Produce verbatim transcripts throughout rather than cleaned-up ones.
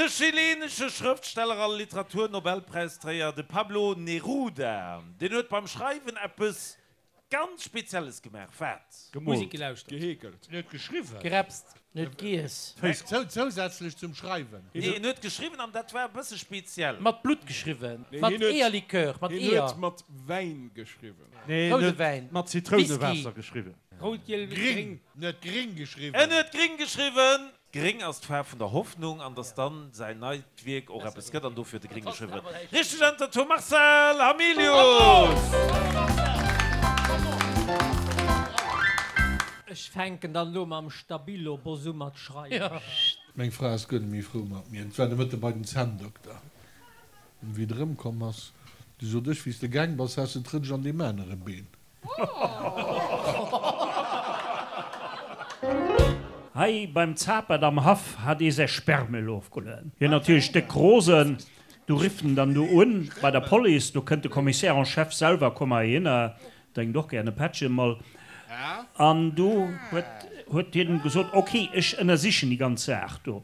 chileenesche Schrëftsteller a Literaturnobelpräisträger, de Pablo Neruda, deen huet beim Schreiwen eppes ganz Spezielles gemaach. Wat? Gemoolt. Musek gelauschtert. Geheekelt. En huet geschriwwen. Gerepst. En huet giess. Zousätzlech zum Schreiwen. Nee, en huet geschriwwen an dat war e bësse speziell. Mat Blutt geschriwwen. Nee, Mat hien huet, Eeërlikör. Mat hien Eeër. huet mat Wäin geschriwwen. Nee, en Roude huet Wäin. mat Whisky. Zitrounewaasser geschriwwen. Rout, giel, Gring. gréng. En huet gring En geschriwwen. huet gring geschriwwen. Gréng ass d'Faarf vun der Hoffnung an dass dann säin neit Wierk och eppes gëtt an dofir huet e gréng geschriwwen. Richteg Äntwert vum Marcel Hamilius! Ech fänken dann elo mam Stabilo-Boss u mat schreiwen. Meng Fra ass guer net méi frou mat mir. Et war de Mëtte bei den Zänndokter. An wéi et erëmkomm ass, du sot ech, wéi s de gaang bass, has de d'Rëtsch an deem anere Been. Hei beim Zapert am Haff hat ee säi Sperrmüll ofgelueden. Hien natierlech déck rosen. Du rifft en dann do un bei der Police, do kënnt de Commissaire en chef selwer, komm heihinner, drénkt och gär e Pättchen mol. An du huet huet hien gesot, ok, ech ënnersichen déi ganz Saach do.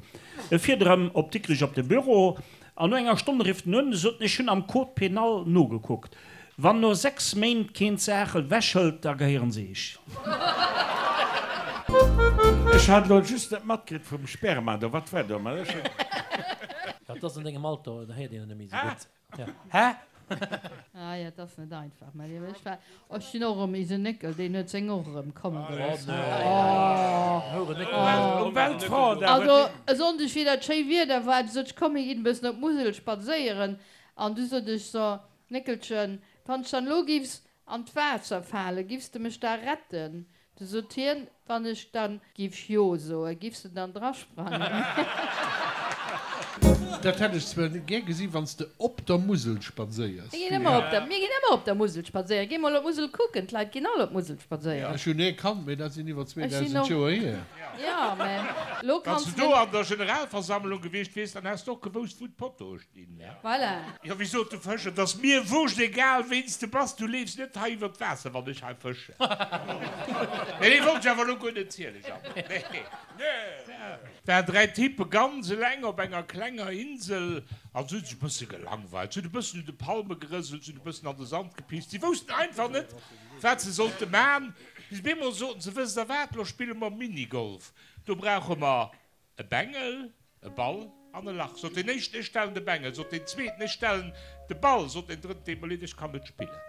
E fiert erëm op Dikrech op de Büro an no enger Stonn rifft en un, sot en, ech hunn am Code pénal nogekuckt, wann no sechs Méint keen d'Saach ewechhëlt, da gehéieren se iech. Ech hat elo just net matkritt vum Sperma do, wat war do? Mä ech hunn. Ja, et ass an dengem Alter, da héiert een et net méi esou gutt. Ja. Hä? Ah jo, et ass net einfach, mä dir wësst wat, ech sinn och erëm ise Néckel, deen huet seng och erëm komme gelooss. Also e Sonndeg, wéi dat schéi Wieder war, du sot ech, komm mir ginn e bëssen op d'Musel spadséieren. An du sot ech, so Néckelchen, wann ech dann elo giffs an d'Waasser falen, giffs de mech da retten? Du sot hien, wann ech dann giff jo soen, giffs de dann drasprangen? Dat hätt ech zwar gär gesi wann s de op der Musel spadséiers. Mir ginn ëmmer op der, mir ginn ëmmer op der Musel spadséieren. Géi mol op d'Musel kucken, d'Leit ginn all op d'Musel spadséieren. Ech hunn ee Kand, mee dat sinn iwwer Ech sinn zweedausend och, Joer hier. jo, mä lo Wann s kanns de do de. an der Generalversammlung gewiescht wiers, dann häss de och gewousst, wou d'Potoe stinn, ne? Voilà. Jo, wéi sot de Fësch, et ass mir wurscht, egal ween s de bass, du leefs net hei iwwer d'Waasser, wann ech hei fëschen. Nee, dee wollt ech awer elo guer net zielen, Jeannot. Nee, nee. Waren dräi Typpe ganz eleng op enger klenger Insel an se hu sech e bësse gelangweilt. Se hunn e bëssen un de Palme gerëselt, se hunn e bëssen an de Sand gepisst. Si woussten einfach net, wat se sollte man, bis op eemol soten se, Wësst der wat, lo spille mer Minigolf. Do brauche mer e Bengel, e Ball an e Lach. Sot deen éischten, Ech stellen de Bengel. Sot deen zweeten, Ech stellen de Ball. Sot deen drëtten, Deet mer leed, ech kann net spillen.